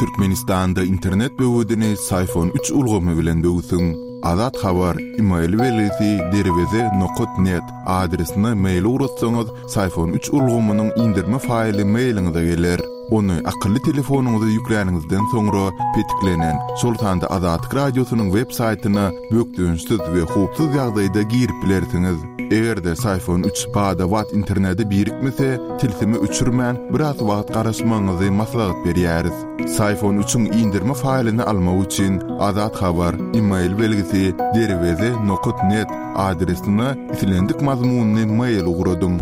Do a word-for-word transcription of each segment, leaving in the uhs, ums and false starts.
Türkmenistanda internet böwedini Syfon üç ulgamy bilen böwsüň. Azat Habar email belgisi derweze nokat net adresine mail ugratsaňyz, Syfon üç ulgamynyň indirme faýly mailiňize geler. Ony akylly telefonyňyza ýükläniňizden soňra petiklenen, şol sanda Azatlyk Radiosynyň web saýtyna bökdençsiz we howpsuz ýagdaýda girip bilersiňiz. Eger-de Syfon üç bada-bat internete birikmese, tilsimi öçürmän biraz wagt garaşmagyňyzy maslahat berýäris. Syfon üçiň indirme faýlyny almak üçin Azat Habar email belgisi derweze nokat net adresine islendik mazmunyny mail ugradyň.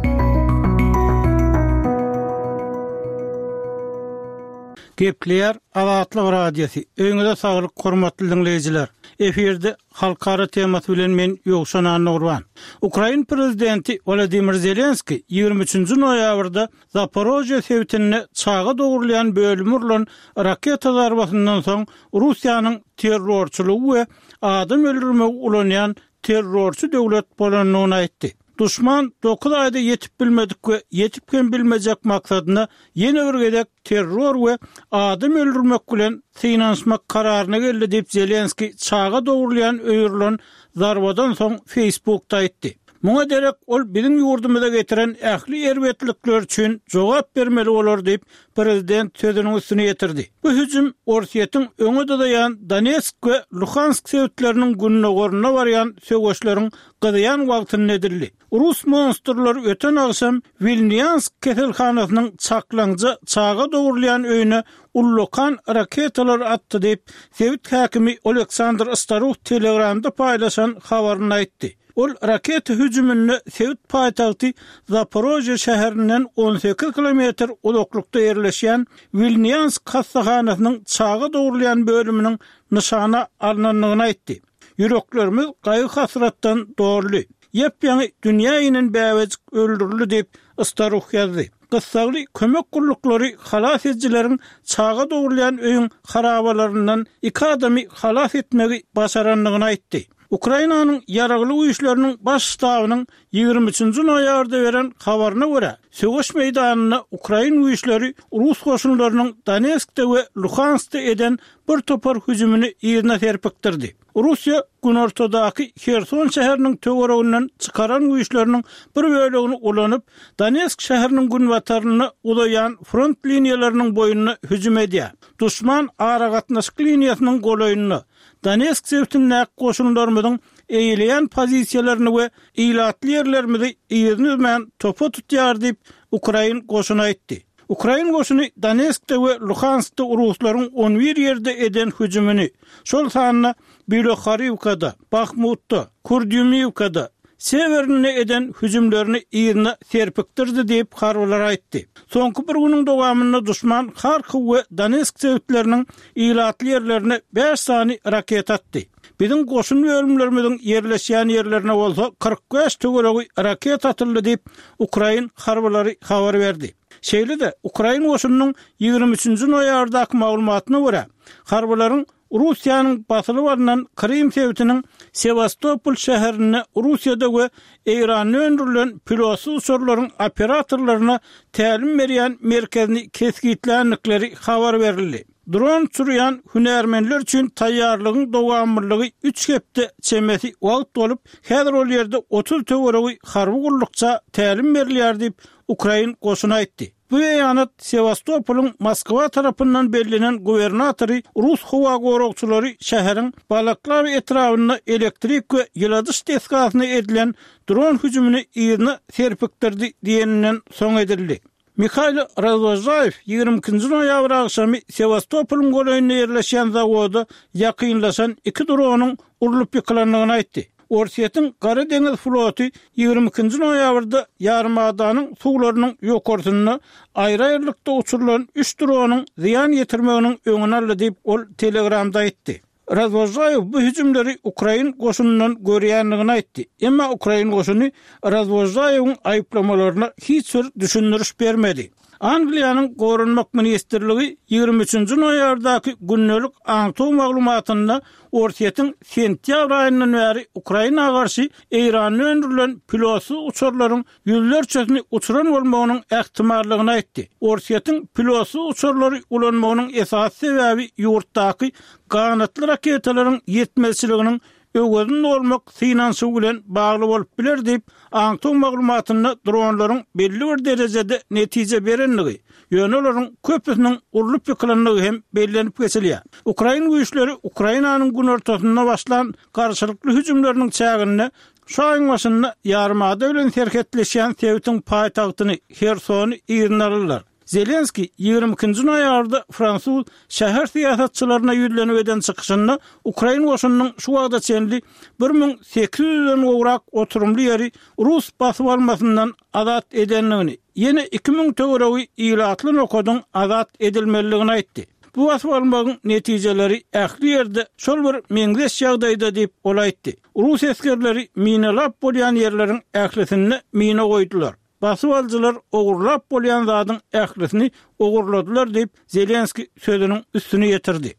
Gepleýär Azatlyk Radiosy. Öýüňize saglyk, hormatly dinleýjiler. Efirde halkara temasy bilen men Ýowşan Annagurban. Ukrain prezidenti Wladimir Zelenski ýigrimi üçünji noýabrda Zaporojye sebitinde çaga dogrulaýan bölümi urlan raketa zarbasyndan soň Russiýanyň terrorçylygy we adam öldürmegi ulanýan terrorçy döwlet bolandygyny aýtdy. Duşman dokuz aýda ýetip bilmedik we ýetip hem bilmejek maksadyna ýene bir gezek terror we adam öldürmek bilen synanyşmak kararyna geldi diýip Zelenski çaga dogrulaýan öýürlen zarbadan soň Facebookda aýtdy. Muňa derek ol biziň ýurdumyza getiren ähli erbetlikler üçin jogap bermeli bolar diýip prezident sözüniň üstüne ýetirdi. Bu hüjüm Orsýetiň öňe dyzaýan Donetsk we Luhansk sebitleriniň gündogarynda barýan söweşleriň gyzýan wagtynda edildi. Rus monstrlary öten agşam Wilniansk keselhanasynyň çaklaňja çaga dogrulaýan öýüne ullakan raketalar atdy diýip sebit häkimi Oleksandr Staruh Telegramda paýlaşan habaryny aýtdy. Ol raketa hüjüminde sebit paýtagty Zaporojye şäherinden on sekiz kilometr uzaklykda ýerleşýän Wilniansk hastahanasynyň çaga dogrulaýan bölüminiň nyşana alynandygyny aýtdy. Ýüreklerimiz gaýgy hasratdan doldy. Ýep-ýaňy dünýä inen bäbejik öldürildi diýip Staruh ýazdy. Gyssagly kömek gulluklary halas edijileriň çaga dogrulaýan öýüň harabalaryndan iki adamy halas etmegi başarandygyny aýtdy. Ukrainanyň ýaragly güýçleriniň baş ştabynyň ýigrimi üçünji noýabrda beren habaryna görä, söweş meýdanynda ukrain güýçleri rus goşunlarynyň Donetskde we Luhanskda eden bir topar hüjümini yzyna serpikdirdi. Russiýa günortadaky Herson şäheriniň töwereginden çykaran güýçleriniň bir bölegini ulanyp, Donetsk şäheriniň günbatarynda uzaýan front liniýalarynyň boýunda hüjüm edýär. Duşman aragatnaşyk liniýasynyň golaýynda Donetsk sebitindäki goşunlarymyzyň eýeleýän pozisiýalaryny we ilatly ýerlerimizi yzyny üzmän topa tutýar diýip Ukrain goşuny aýtdy. Ukrain goşuny Donetskde we Luhanskda ruslaryň on bir ýerde eden hüjümini, şol sanda Bilohariwkada, Bahmutda, Kurdyumiwkada, Sewerinde eden hüjümlerini yzyna serpikdirdi diýip harbylar aýtdy. Soňky bir günüň dowamynda duşman Harkiw we Donetsk sebitleriniň ilatly ýerlerine bäş sany raket atdy. Biziň goşun bölümlerimiziň ýerleşýän ýerlerine bolsa kyrk bäş töweregi raket atyldy diýip Ukrain harbylary habar berdi. Şeýle-de Ukrain goşunynyň ýigrimi üçünji noýabrdaky maglumatyna görä, harbylaryň Russiýanyň basylyp alynan Krym sebitiniň Sewastopol şäherinde Russiýada we Eýranda öndürilen pilotsyz uçarlaryň operatorlaryna tälim berýän merkezini kesgitländikleri habar berildi. Dron uçurýan hünärmenler üçin taýýarlygyň dowamlylygy üç hepde çemesi wagt bolup, häzir ol ýerde otuz töweregi harby gullukça tälim berilýär diýip Ukrain goşuny aýtdy. Bu beýanat Sewastopolyň Moskwa tarapyndan bellenen gubernatory rus howa goragçylary şäheriň Balaklawa etrabynda elektrik we ýyladyş desgasyna edilen dron hüjümini yzyna serpikdirdi diýeninden soň edildi. Mihail Razwojaýew ýigrimi ikinji noýabr agşamy Sewastopolyň golaýynda ýerleşýän zawoda ýakynlaşan iki dronyň urlup ýykylandygyny aýtdy. Orsýetiň Gara deňiz floty ýigrimi ikinji noýabrda ýarymadanyň suwlarynyň ýokarsynda aýry-aýrylykda uçurylan üç dronyň zyýan ýetirmeginiň öňüni aldy diýip, ol Telegramda aýtdy. Razwožaýew bu hüjümleri ukrain goşunyndan görýändigini aýtdy. Emma ukrain goşuny Razwožaýewiň aýyplamalaryna hiç bir düşündiriş bermedi. Angliýanyň Goranmak ministrligi ýigrimi üçünji noýabrdaky gündelik aňtaw maglumatynda Orsýetiň sentýabr aýyndan bäri Ukraina garşy Eýranda öndürilen pilotsyz uçarlaryň ýüzlerçesini uçuran bolmagynyň ähtimallygyny aýtdy. Orsýetiň pilotsyz uçarlary ulanmagynyň esasy sebäbi ýurtdaky ganatly raketalaryň ýetmezçiliginiň öwezini dolmak synanyşygy bilen bagly bolup biler diýip, aňtaw maglumatynda dronlaryň belli bir derejede netije berendigi, ýöne olaryň köpüsiniň urlup ýykylandygy hem bellenip geçilýär. Ukrain güýçleri Ukrainanyň günortasynda başlan garşylykly hüjümleriniň çäginde şu aýyň başynda ýarymada bilen serhetleşýän sebitiň paýtagtyny Hersony yzyna aldylar. Zelenskiý ýigrimi ikinji noýabrda fransuz şäher syýasatçylaryna ýüzlenip eden çykyşynda ukrain goşunynyň şu wagta çenli bir müň sekiz ýüzden gowrak oturymly ýeri rus basyp almasyndan azat edendigini, ýene iki müň töweregi ilatly nokadyň azat edilmelidigini aýtdy. Bu basyp almagyň netijeleri ähli ýerde şol bir meňzeş ýagdaýda diýip, ol aýtdy. Rus esgerleri minalap bolýan ýerleriň ählisinde mina goýdular. Basyp alyjylar ogurlap bolýan zadyň ählisini ogurladylar diýip, Zelenskiý sözüniň üstüni ýetirdi.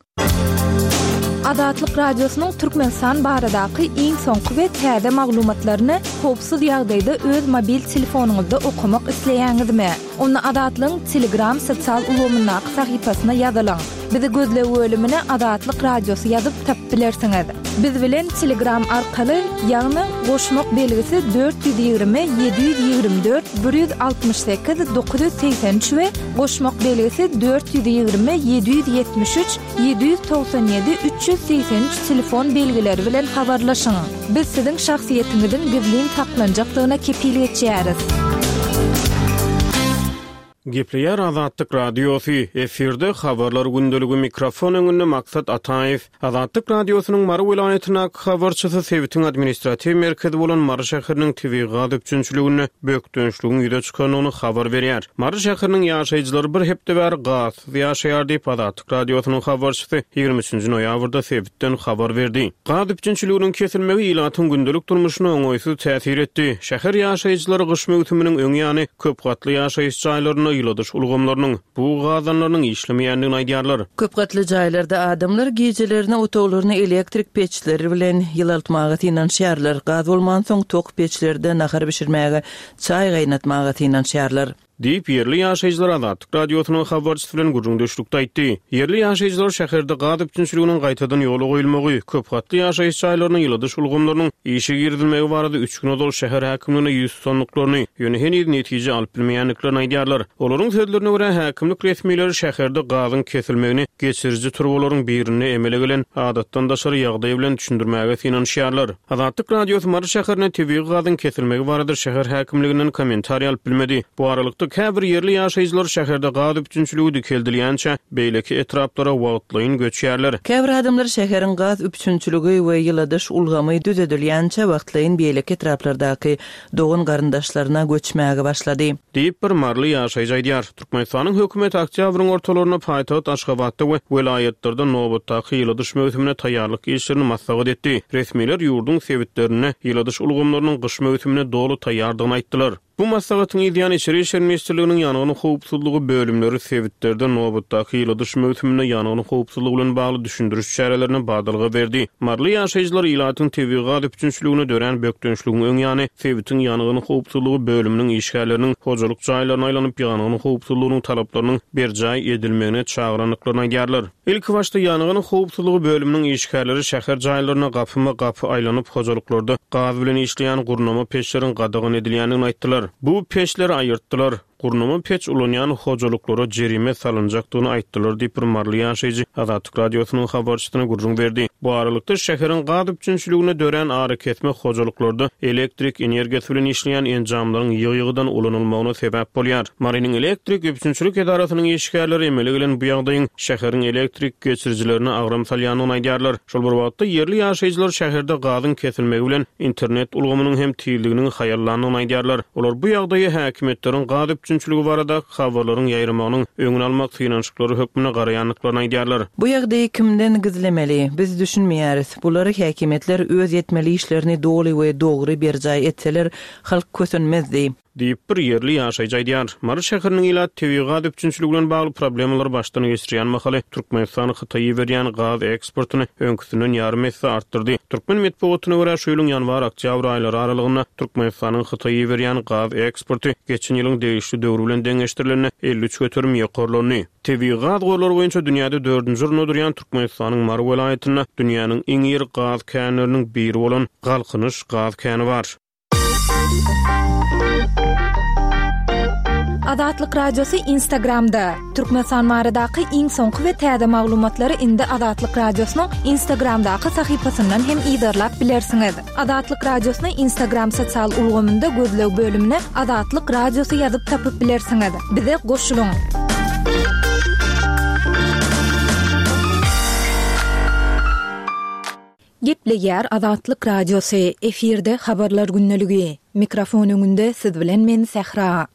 Azatlyk Radiosynyň Türkmenistan baradaky iň soňky we täze maglumatlaryny howpsuz ýagdaýda öz mobil telefonyňyzda okamak isleýäňizmi? Onda Azatlygyň Telegram sosial ulgamyndaky sahypasyna ýazylyň. Bizi gözleg bölümine Azatlyk Radiosy ýazyp tapyp bilersiňiz. Biz bilen Telegram arkaly, ýagny goşmak belgisi dört ýüz ýigrimi ýedi ýüz ýigrimi dört bir ýüz altmyş sekiz dokuz ýüz segsen üç we goşmak belgisi dört ýüz ýigrimi ýedi ýüz ýetmiş üç ýedi ýüz togsan ýedi üç ýüz segsen üç telefon belgileri bilen habarlaşyň. Biz siziň şahsyýetiňiziň gizlin saklanjakdygyna kepil geçýäris. Gepleýär Azatlyk Radiosy, efirde habarlar gündeligi, mikrofon öňünde Maksat Ataýew. Azatlyk Radiosynyň Mary welaýatyndaky habarçysy sebitiň administratiw merkezi bolan Mary şäheriniň tebigy gaz üpjünçiliginde bökdençligiň ýüze çykandygyny habar berýär. Mary şäheriniň ýaşaýjylary bir hepde bäri gazsyz ýaşaýar diýip Azatlyk Radiosynyň habarçysy ýigrimi üçünji noýabrda sebitden habar berdi. Gaz üpjünçiliginiň kesilmegi ilatyň gündelik durmuşyna oňaýsyz täsir etdi. Şäher ýaşaýjylary gyş möwsüminiň öň ýany köp gatly ýaşaýyş jaýlarynda ýyladyş ulgamlarynyň, bug gazanlarynyň işlemeýändigini aýdýarlar. Köp gatly jaýlarda adamlar gijelerini otaglaryny elektrik peçleri bilen ýylaltmaga synanyşýarlar. Gaz bolmansoň tok peçlerde nahar bişirmäge, çaý gaýnatmaga synanyşýarlar. Diýip, ýerli ýaşaýjylar Azatlyk Radiosynyň habarçysy bilen gürrüňdeşlikde aýtdy. Ýerli ýaşaýjylar şäherde gaz üpjünçiliginiň gaýtadan ýola goýulmagy, köp gatly ýaşaýyş jaýlarynyň ýyladyş ulgamlarynyň işe girizilmegi barada üç gün ozal şäher häkimligine ýüz tutandyklaryny, ýöne heniz netije alyp bilmeýändiklerini aýdýarlar. Olaryň sözlerine görä, häkimlik resmileri şäherde gazyň kesilmegini geçiriji turbalaryň birinde emele gelen adatdan daşary ýagdaý bilen düşündirmäge synanyşýarlar. Azatlyk Radiosy Mary şäherine tebigy gazyň kesilmegi barada şäher häkimliginden kommentariý alyp bilmedi. Bu aralykda käbir ýerli ýaşaýjylar şäherde gaz üpjünçiligi dikeldilýänçä beýleki etraplara wagtlaýyn göçýärler. Käbir adamlar şäheriň gaz üpjünçiligi we ýyladyş ulgamy düzedilýänçä wagtlaýyn beýleki etraplardaky dogan garyndaşlaryna göçmäge başlady. Diýip bir maryly ýaşaýjy aýdýar. Türkmenistanyň hökümeti oktýabryň ortalarynda paýtagt Aşgabatda we welaýatlarda nobatdaky ýyladyş möwsümine taýýarlyk işlerini maslahat etdi. Resmiler ýurduň sebitlerinde ýyladyş ulgamlarynyň gyş möwsümine doly taýýardygyny aýtdylar. Bu maslahatyň ýan içeri işler ministrliginiň ýangyn howpsuzlygy bölümleri sebitlerde nobatdaky ýyladyş möwsüminde ýangyn howpsuzlygy bilen bagly düşündiriş çärelerine badalga berdi. Maryly ýaşaýjylar ilatyň tebigy gaz üpjünçiligine dörän bökdençligiň öň ýany sebitiň ýangyn howpsuzlygy bölüminiň işgärleriniň hojalyk jaýlaryna aýlanyp ýangyn howpsuzlygynyň talaplarynyň berjaý edilmegine çagyrandyklaryny aýdýarlar. Ilki başda ýangyn howpsuzlygy bölüminiň işgärleri şäher jaýlaryna gapyma gapy aýlanyp hojalyklarda gaz bilen işleýän gurnama peçleriň gadagan edilýändigini aýtdylar. Bu peçleri aýyrtdylar. Gurnama peç ulanýan hojalyklara jerime salynjakdygyny aýtdylar diýip bir maryly ýaşaýjy Azatlyk Radiosynyň habarçysyna gürrüň berdi. Bu aralykda şäheriň gaz üpjünçiligine dörän arakesme hojalyklarda elektrik energiýasy bilen işleýän enjamlaryň ýygy-ýygydan ulanylmagyna sebäp bolýar. Marynyň elektrik üpjünçilik edarasynyň işgärleri emele gelen bu ýagdaýyň şäheriň elektrik geçirijilerine agram salýandygyny aýdýarlar. Şol bir wagtda ýerli ýaşaýjylar şäherde gazyň kesilmegi bilen internet ulgamynyň hem tizliginiň haýallandygyny aýdýarlar. Olar bu ýagdaýy häkimiýetleriň gaz üpjünçiligi baradaky habarlaryň ýaýramagynyň öňüni almak synanyşyklary hökmünde garaýandyklaryny aýdýarlar. Bu ýagdaýy kimden gizlemeli? Biz düşünmeýäris. Bulary häkimiýetler öz etmeli işlerini doly we dogry berjaý etseler, halk kösenmezdi. Diýip bir ýerli ýaşaýjy aýdýar. Mary şäheriniň ilaty tebigy gaz üpjünçiligi bilen bagly problemalary başdan geçirýän mahaly Türkmenistan Hytaýa iberýän gaz eksportyny öňküsinden ýarym esse artdyrdy. Türkmen metbugatyna görä şu ýylyň ýanwar-oktýabr aýlary aralygynda Türkmenistanyň Hytaýa iberýän gaz eksporty geçen ýylyň degişli döwri bilen deňeşdirilende elli üç göterim ýokarlandy. Tebigy gaz gorlary boýunça dünýäde dördünji orunda durýan Türkmenistanyň Mary welaýatynda dünýäniň iň iri gaz känleriniň biri bolan Galkynyş gaz käni bar. Azatlyk Radiosy Instagramda. Türkmenistan baradaky iň soňky we täze maglumatlary indi Azatlyk Radiosynyň Instagramdaky sahypasyndan hem yzarlap bilersiňiz. Azatlyk Radiosyny Instagram sosial ulgamynda gözleg bölümine Azatlyk Radiosy ýazyp tapyp bilersiňiz. Bize goşulyň. Gepleýär Azatlyk Radiosy, efirde habarlar gündeligi. Mikrofon öňünde siz bilen men Sähra.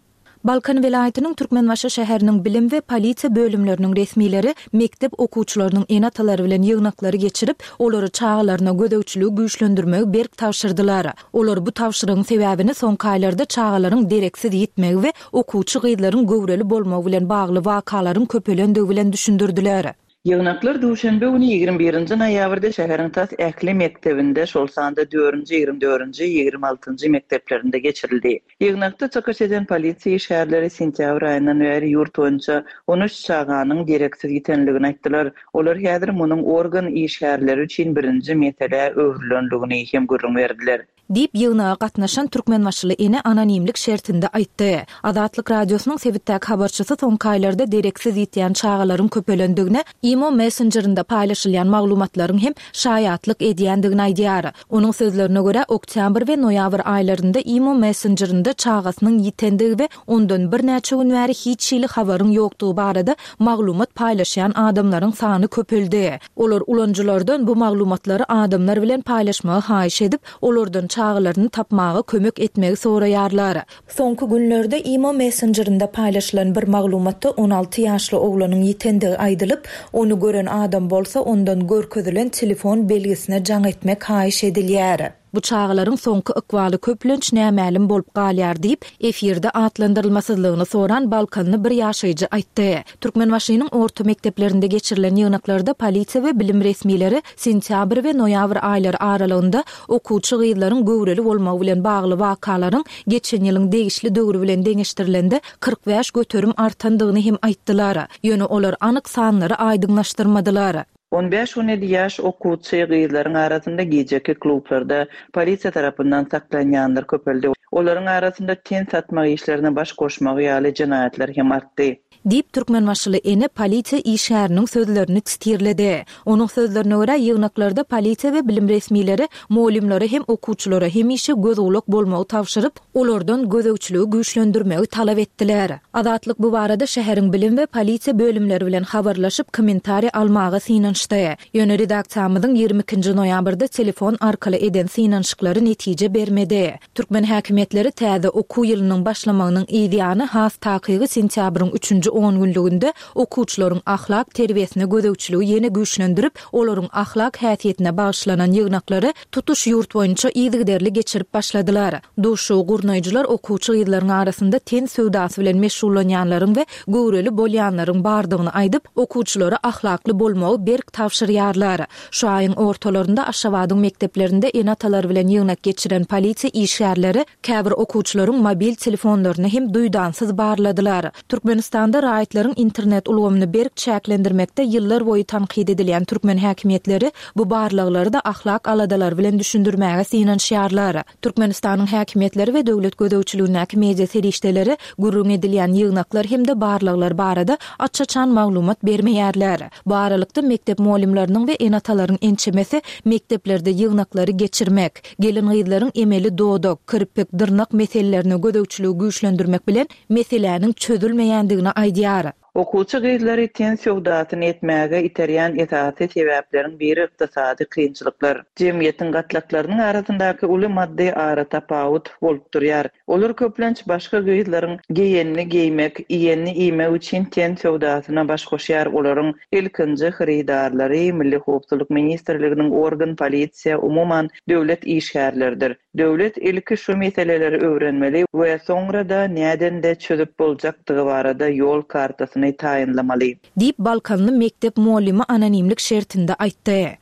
Balkan welaýatynyň Türkmenbaşy şäheriniň bilim we polisiýa bölümleriniň resmileri mekdep okuwçylarynyň ene-atalary bilen ýygnaklary geçirip, olary çagalaryna gözegçiligi güýçlendirmegi berk tabşyrdylar. Olar bu tabşyrygyň sebäbini soňky aýlarda çagalaryň dereksiz ýitmegi we okuwçy gyzlaryň göwreli bolmagy bilen bagly wakalaryň köpelendigi bilen düşündirdiler. Ýygnaklar duşenbe güni ýigrimi birinji noýabrda şäheriň tas ähli mekdebinde, şol sanda dördünji, ýigrimi dördünji, ýigrimi altynjy mekdeplerinde geçirildi. Ýygnakda çykyş eden polisiýa işgärleri sentýabr aýyndan bäri ýurt boýunça on üç çaganyň dereksiz ýitenligini aýtdylar. Olar häzir munuň organ işgärleri üçin birinji mesele öwrülenligini hem gürrüň berdiler. Diýip ýygnaga gatnaşan Türkmenbaşyly ene anonimlik şertinde aýtdy. Azatlyk Radiosynyň sebitdäki habarçysy soňky aýlarda dereksiz ýitýän çagalaryň köpelendigine Imo Messengerinde paýlaşylýan maglumatlaryň hem şaýatlyk edýändigini aýdýar. Onuň sözlerine görä oktýabr we noýabr aýlarynda Imo Messengerinde çagasynyň ýitendigi we ondan birnäçe gün bäri hiç hili habaryň ýokdugy barada maglumat paýlaşýan adamlaryň sany köpeldi. Olar ulanyjylardan bu maglumatlary adamlar bilen paýlaşmagy haýyş edip, olardan çagalaryny tapmaga kömek etmegi soraýarlar. Soňky günlerde Imo Messengerinde paýlaşylan bir maglumatda on alty ýaşly oglanyň ýitendigi aýdylyp, ony gören adam bolsa ondan görkezilen telefon belgisine jaň etmek haýyş edilýär. Bu çagalaryň soňky ykbaly köplenç nämälim bolup galýar diýip, efirde atlandyrylmasyzlygyny soran Balkanly bir ýaşaýjy aýtdy. Türkmenbaşynyň orta mekdeplerinde geçirilen ýygnaklarda polisiýa we bilim resmileri sentýabr we noýabr aýlary aralygynda okuwçy gyzlaryň göwreli bolmagy bilen bagly wakalaryň geçen ýylyň degişli döwri bilen deňeşdirilende kyrk bäş göterim artandygyny hem aýtdylar. Ýöne olar anyk sanlary aýdyňlaşdyrmadylar. On bäş on ýedi ýaş okuwçy gyzlaryň arasynda gijeki klublarda polisiýa tarapyndan saklanýanlar köpeldi. Olaryň arasynda ten satmak işlerine baş goşmagy ýaly jenaýatlar hem artdy. Diýip Türkmenbaşyly ene polisiýa işgäriniň sözlerini titirledi. Onuň sözlerine görä ýygnaklarda polisiýa we bilim resmileri mugallymlara hem okuwçylara hemişe göz gulak bolmagy tabşyryp, olardan gözegçiligi güýçlendirmegi talap etdiler. Azatlyk bu barada şäheriň bilim we polisiýa bölümleri bilen habarlaşyp kommentariý almaga synanyşdy. Ýöne redaksiýamyzyň ýigrimi ikinji noýabrda telefon arkaly eden synanyşyklary netije bermedi. Türkmen häkimiýetleri täze okuw ýylynyň başlamagynyň ýany has takygy sentýabryň üçünji on günlüginde okuwçylaryň ahlak terbiýesine gözegçiligi ýene güýçlendirip, olaryň ahlak häsiýetine bagyşlanan ýygnaklary tutuş ýurt boýunça yzygiderli geçirip başladylar. Duşugy gurnaýjylar okuwçy gyzlaryň arasynda ten söwdasy bilen meşgullanýanlaryň we göwreli bolýanlaryň bardygyny aýdyp, okuwçylara ahlakly bolmagy berk tabşyrýarlar. Şu aýyň ortalarynda Aşgabadyň mekdeplerinde ene-atalar bilen ýygnak geçiren polisiýa işgärleri käbir okuwçylaryň mobil telefonlaryny hem duýdansyz barladylar. Türkmenistanda raýatlaryň internet ulgamyny berk çäklendirmekde ýyllar boýy tankyt edilýän türkmen häkimiýetleri bu barlaglary da ahlak aladalary bilen düşündirmäge synanyşýarlar. Türkmenistanyň häkimiýetleri we döwlet gözegçiligindäki media serişdeleri gürrüň edilýän ýygnaklar hem-de barlaglar barada aç-açan maglumat bermeýärler. Bu aralykda mekdep mugallymlarynyň we ene-atalaryň ençemesi mekdeplerde ýygnaklary geçirmek, gelin-gyzlaryň emeli dodak, kirpik, dyrnak meselelerine gözegçiligi güýçlendirmek bilen meseläniň çözülmeýändigini aýdýar. Okuwçy gyzlary ten söwdasyny etmäge iterýän esasy sebäpleriň biri ykdysady kynçylyklar. Jemgyýetiň gatlaklarynyň arasyndaky uly maddy aratapawut bolup durýar. Olar köplenç başga gyzlaryň geýenini geýmek, iýenini iýmek üçin ten söwdasyna baş goşýar. Olaryň ilkinji hyrydarlary Milli howpsuzlyk ministrliginiň organ, polisiýa, umuman döwlet işgärleridir. Döwlet ilki şu meseleleri öwrenmeli we soňra-da nädende çözüp boljakdygy barada ýol kartasyny taýynlamaly. Diýip, balkanly mekdep mugallymy anonimlik şertinde aýtdy.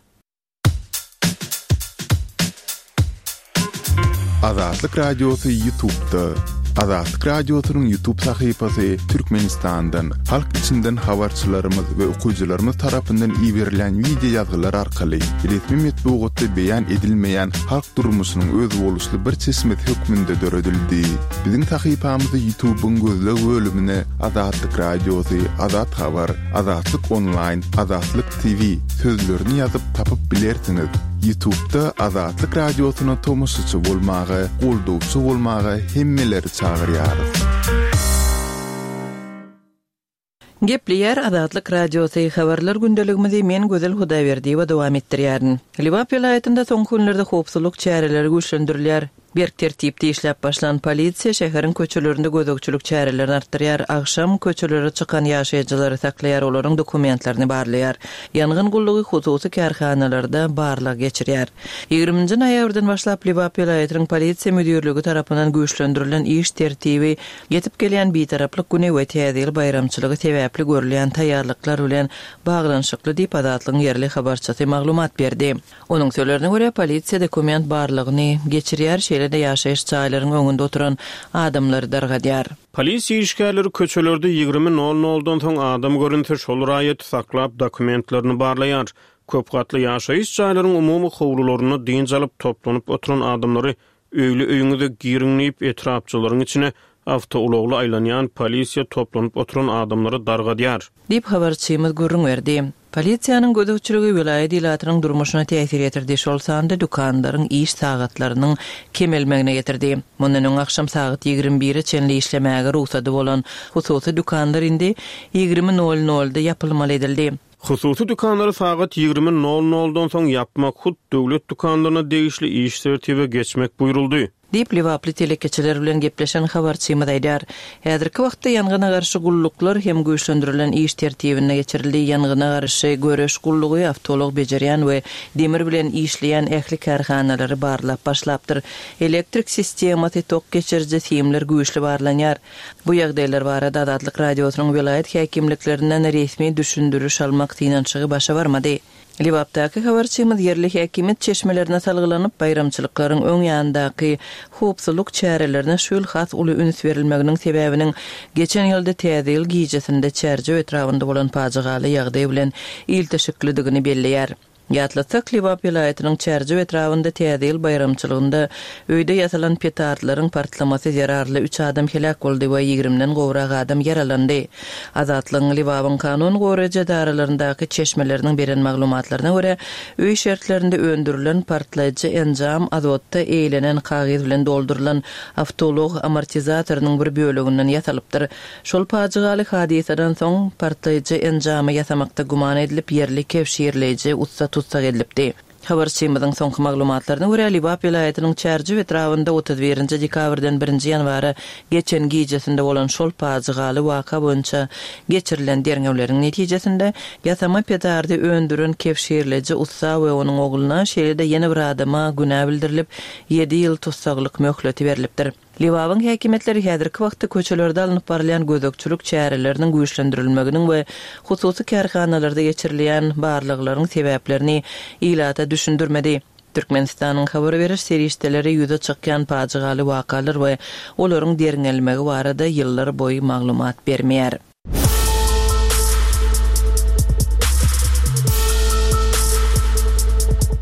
Azatlyk Radiosy YouTube'da. Azatlyk Radiosynyň YouTube sahypasy Türkmenistandan, halk içinden habarçylarymyz we okyjylarymyz tarapyndan iberilen wideo ýazgylar arkaly resmi metbugatda beýan edilmeýän halk durmuşynyň özboluşly bir çeşmesi hökmünde döredildi. Biziň sahypamyzy YouTube'yň gözleg bölümine Azatlyk Radiosy, Azat Habar, Azatlyk Online, Azatlyk T V sözlerini ýazyp tapyp bilersiňiz. YouTube'da Azatlyk Radiosyna tomaşaçy bolmaga, goldawçy bolmaga hemmeleri çagyrýarys. Gepleýär Azatlyk Radiosy habarlar gündeligimizi men Gözel Hudaýberdiýewa dowam etdirýärin. Lebap welaýatynda soňky günlerde howpsuzlyk çäreleri güýçlendirilýär. Berk tertipde işläp başlan polisiýa şäheriň köçelerinde gözegçilik çärelerini artdyrýar. Agşam köçelere çykan ýaşaýjylary saklaýar, olaryň dokumentlerini barlaýar. Ýangyn gullugy hususy kärhanalarda barlag geçirýär. Ýigriminji noýabrdan başlap Lebap welaýatynyň polisiýa müdirligi tarapyndan güýçlendirilen iş tertibi ýetip gelýän bitaraplyk güni we Täze ýyl baýramçylygy sebäpli görülýän taýýarlyklar bilen baglanyşykly diýip Azatlygyň ýerli habarçysy maglumat berdi. Onuň sözlerine görä polisiýa dokument barlagyny geçirýär, şeýle-de ýaşaýyş jaýlaryň öňünde oturan adamlary dargadýar. Polisiýa işgärleri köçelerde ýigrimi nol noldan soň adam görünse şol raýaty saklap dokumentlerini barlaýar. Köp gatly ýaşaýyş jaýlaryň umumy howlularynda dynç alyp toplanyp oturan adamlary öýli öýüňize giriň diýip etrapçylaryň içine awtoulagly aýlanýan polisiýa toplanyp oturan adamlary dargadýar. Diýip habarçymyz gürrüň berdi. Polisiýanyň gözegçiligi welaýat ilatynyň durmuşyna täsir ýetirdi. Şol sanda dükanlaryň iş sagatlarynyň kemelmegine getirdi. Mundan öň akşam sagat ýigrimi bire çenli işlemäge rugsady bolan hususy dükanlar indi ýigrimi nol nolda ýapylmaly edildi. Hususy dükanlary sagat ýigrimi nol noldan soň ýapmak hut döwlet dükanlaryna degişli iş tertibe geçmek buýruldy. Diýip Lebaply telekeçiler bilen gepleşen habarçymyz aýdar. Häzirki wagtda ýangyna garşy gulluklar hem güýçlendirilen iş tertibine geçirildi. Ýangyna garşy göreş gullugy awtoulag bejerýän we demir bilen işleýän ähli kärhanalary barlap başlapdyr. Elektrik sistemasy tok geçiriji simler güýçli barlanýar. Bu ýagdaýlar barada Azatlyk Radiosynyň welaýat häkimliklerinden resmi düşündiriş almak synanyşygy başa barmady. Lebapdaky habarçymyz ýerli häkimiýet çeşmelerine salgylanyp, baýramçylyklaryň öň ýanyndaky howpsuzlyk çärelerine şu ýyl has uly üns berilmeginiň sebäbiniň geçen ýylda Täze ýyl gijesinde Çärjew etrabynda bolan pajygaly ýagdaý bilen ilteşiklidigini belleýär. Ýatlatsak, Lebap welaýatynyň Çärjew etrabynda Täze ýyl baýramçylygynda öýde ýasalan petardlaryň partlamasy zerarly üç adam heläk boldy we ýigrimden gowrak adam ýaralandy. Azatlygyň Lebabyň kanun goraýjy edaralaryndaky çeşmeleriniň beren maglumatlaryna görä, öý şertlerinde öndürilen partlaýjy enjam azotda eýlenen kagyz bilen doldurylan awtoulag amortizatorynyň bir böleginden ýasalypdyr. Şol pajygaly hadysadan soň partlaýjy enjamy ýasamakda güman edilip, ýerli kewşirleýji ussa tutsak edilipdi. Habarçymyzyň soňky maglumatlaryna görä, Lebap welaýatynyň Çärjew etrabynda otuz birinji dekabrdan birinji ýanwara geçen gijesinde bolan şol pajygaly waka boýunça geçirilen derňewleriň netijesinde ýasama petardy öndüren kewşirleýji ussa we onuň ogluna, şeýle-de ýene bir adama günä bildirilip, ýedi ýyl tussaglyk möhleti berlipdir. Lebabyň häkimiýetleri häzirki wagtda köçelerde alnyp barylýan gözegçilik çäreleriniň güýçlendirilmeginiň we hususy kärhanalarda geçirilýän barlaglaryň sebäplerini ilata düşündirmedi. Türkmenistanyň habar beriş serişdeleri ýüze çykýan pajygaly wakalar we olaryň derňelmegi barada ýyllar boýy maglumat bermeýär.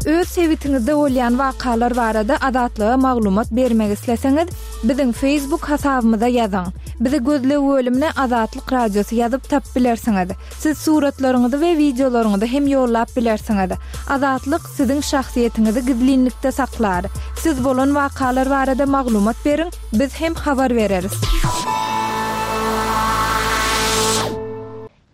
Öz sebitiňizde bolýan wakalar barada Azatlyga maglumat bermek isleseňiz, biziň Facebook hasabymyza ýazyň. Bizi gözleg bölümine Azatlyk Radiosy ýazyp tap bilersiňiz. Siz suratlaryňyzy we wideolaryňyzy hem ýollap bilersiňiz. Azatlyk siziň şahsyýetiňizi gizlinlikde saklar. Siz bolan wakalar barada maglumat beriň, biz hem habar bereris.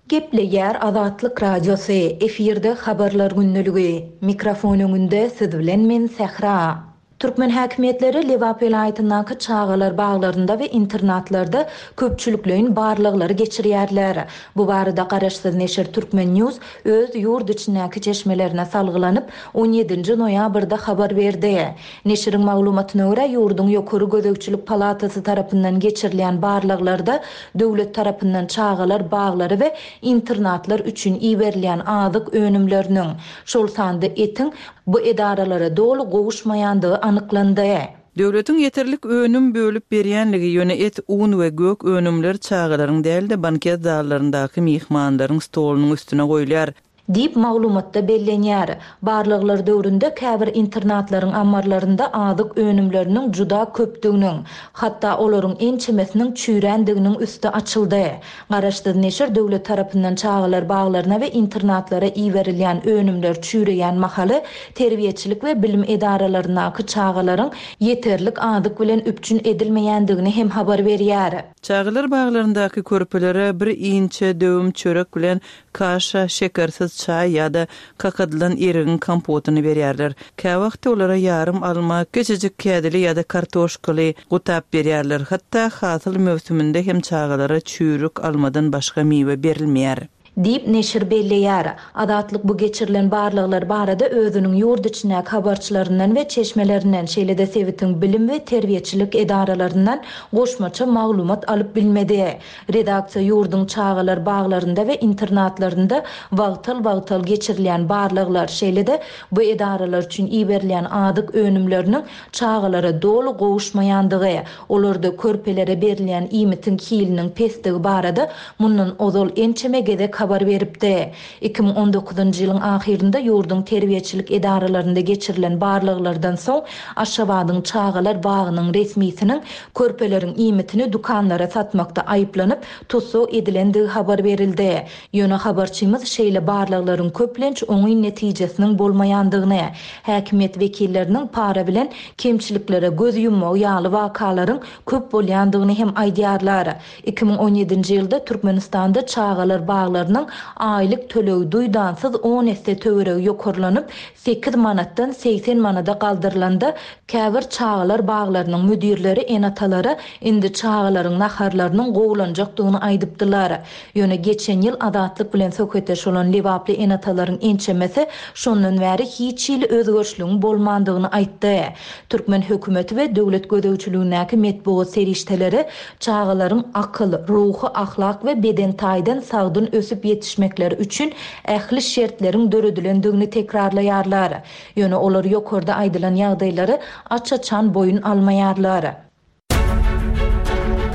Gepleýär Azatlyk Radiosy, efirde Habarlar gündeligi. Mikrofon öňünde siz bilen men Sähra. Türkmen häkimiýetleri Lebap welaýatyndaky çagalar baglarynda we internatlarda köpçülikleýin barlaglary geçirýärler. Bu barada garaşsyz neşir Turkmen News öz ýurt içindäki çeşmelerine salgylanyp, on ýedinji noýabrda habar berdi. Neşiriň maglumatyna görä, ýurduň Ýokary gözegçilik palatasy tarapyndan geçirilýän barlaglarda döwlet tarapyndan çagalar baglary we internatlar üçin iberilýän azyk önümleriniň, şol sanda etiň bu edaralara doly gowuşmaýandygy anyklandy. Döwletiň ýeterlik önüm bölüp berýänligi ýöne et, un we gök önümler çagalaryň däl-de banket zallaryndaky myhmanlaryň stolunyň üstüne goýulýar. Diýip maglumatda bellenýär. Barlaglar döwründe käbir internatlaryň ammarlarynda azyk önümleriniň juda köpdüginiň, hatda olaryň ençemesiniň çüýrändiginiň üsti açyldy. Garaşsyz neşir döwlet tarapyndan çagalar baglaryna we internatlara iberilýän önümler çüýreýän mahaly terbiýeçilik we bilim edaralaryndaky çagalaryň ýeterlik azyk bilen üpjün edilmeýändigini hem habar berýär. Çagalar baglaryndaky körpelere bir inçe döwüm çörek bilen kaşa, şekersiz çaý ýa-da kakadylan erigiň kompotyny berýärler. Käwagtda olara ýarym alma, kiçijik kädili ýa-da kartoşkaly gutap berýärler. Hatda hasyl möwsüminde hem çagalara çüýrük almadan başga miwe berilmeýär. Diýip neşir belleýär. Azatlyk bu geçirilen barlaglar barada özüniň ýurt içindäki habarçylaryndan we çeşmelerinden, şeýle-de sebitiň bilim we terbiýeçilik edaralaryndan goşmaça maglumat alyp bilmedi. Redaksiýa ýurduň çagalar baglarynda we internatlarynda wagtal-wagtal geçirilýän barlaglar, şeýle-de bu edaralar üçin iberilýän azyk önümleriniň çagalara doly gowuşmaýandygy, olarda körpelere berilýän iýmitiň hiliniň pesdigi barada mundan ozal ençeme gezek habar beripdi. Iki müň on dokuzynjy ýylyň ahyrynda ýurduň terbiýeçilik edaralarynda geçirilen barlaglardan soň Aşgabadyň çagalar bagynyň resmisiniň körpeleriň iýmitini dükanlara satmakda aýyplanyp tussag edilendigi habar berildi. Ýöne habarçymyz şeýle barlaglaryň köplenç oňyn netijesiniň bolmaýandygyny, häkimiýet wekilleriniň para bilen kemçiliklere göz ýummagy ýaly wakalaryň köp bolýandygyny hem aýdýarlar. Iki müň on ýedinji ýylda Türkmenistanda çagalar baglarynyň aýlyk tölegi duýdansyz on esse töweregi ýokarlanyp, sekiz manatdan segsen manada galdyrylanda, käbir çagalar baglarynyň müdirleri ene-atalara indi çagalaryň naharlarynyň gowulanjakdygyny aýdypdylar. Ýöne geçen ýyl Azatlyk bilen söhbetdeş bolan Lebaply ene-atalaryň ençemesi şondan bäri hiç hili özgerişligiň bolmandygyny aýtdy. Türkmen hökümeti we döwlet gözegçiligindäki metbugat serişdeleri çagalaryň akyl, ruhy, ahlak we beden taýdan sagdyn ösüp ýetişmekleri üçin ähli şertleriň döredilendigini tekrarlaýarlar. Ýöne olar ýokarda aýdylan ýagdaýlary aç-açan boýun almaýarlar.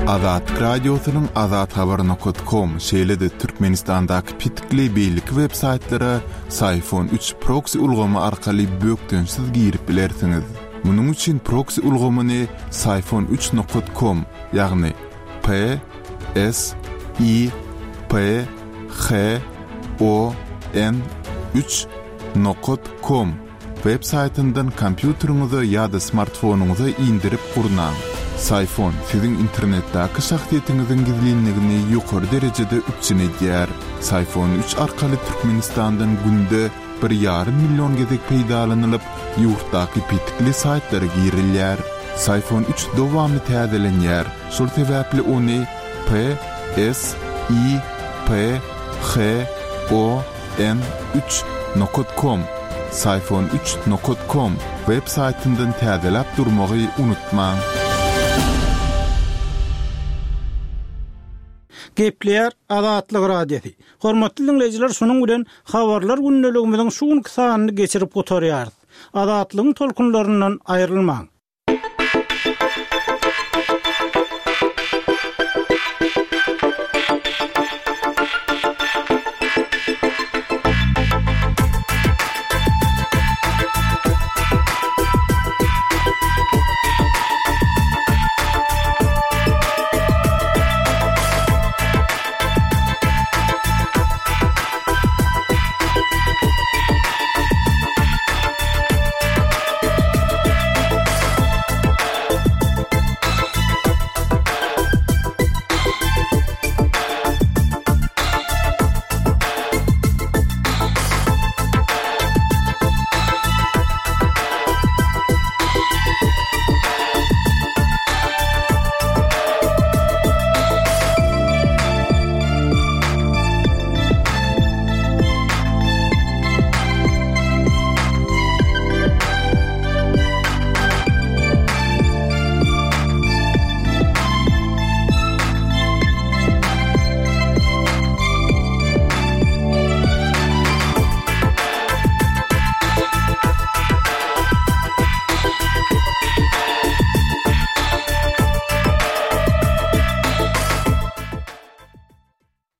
Azatlyk Radiosynyň azathabar nokta com, şeýle-de Türkmenistandaky pitikli beýleki web saýtlara Syfon üç proxy ulgamy arkaly bökdençsiz girip bilersiňiz. Munuň üçin proxy ulgamyny Syfon üç nokta com, ýagny P S I P H O N üç nokta com web saýtyndan kompýuteriňize ýa-da smartfonyňyza indirip gurnaň. Syfon siziň internetdäki şahsyýetiňiziň gizlinligini ýokary derejede üpjün edýär. Syfon üç arkaly Türkmenistandan günde bir ýarym million gezek peýdalanylyp, ýurtdaky petikli saýtlara girilýär. Syfon üç dowamly täzelenýär. Şol sebäpli ony P S I P H O N üç nokta com, Syfon üç nokta com web saýtyndan täzeläp durmagy unutmaň. Gepleýär Azatlyk Radiosy. Hormatly dinleýjiler, şunuň bilen habarlar gündeligimiziň şu günki sanyny geçirip gutarýarys. Azatlygyň tolkunlaryndan aýrylmaň.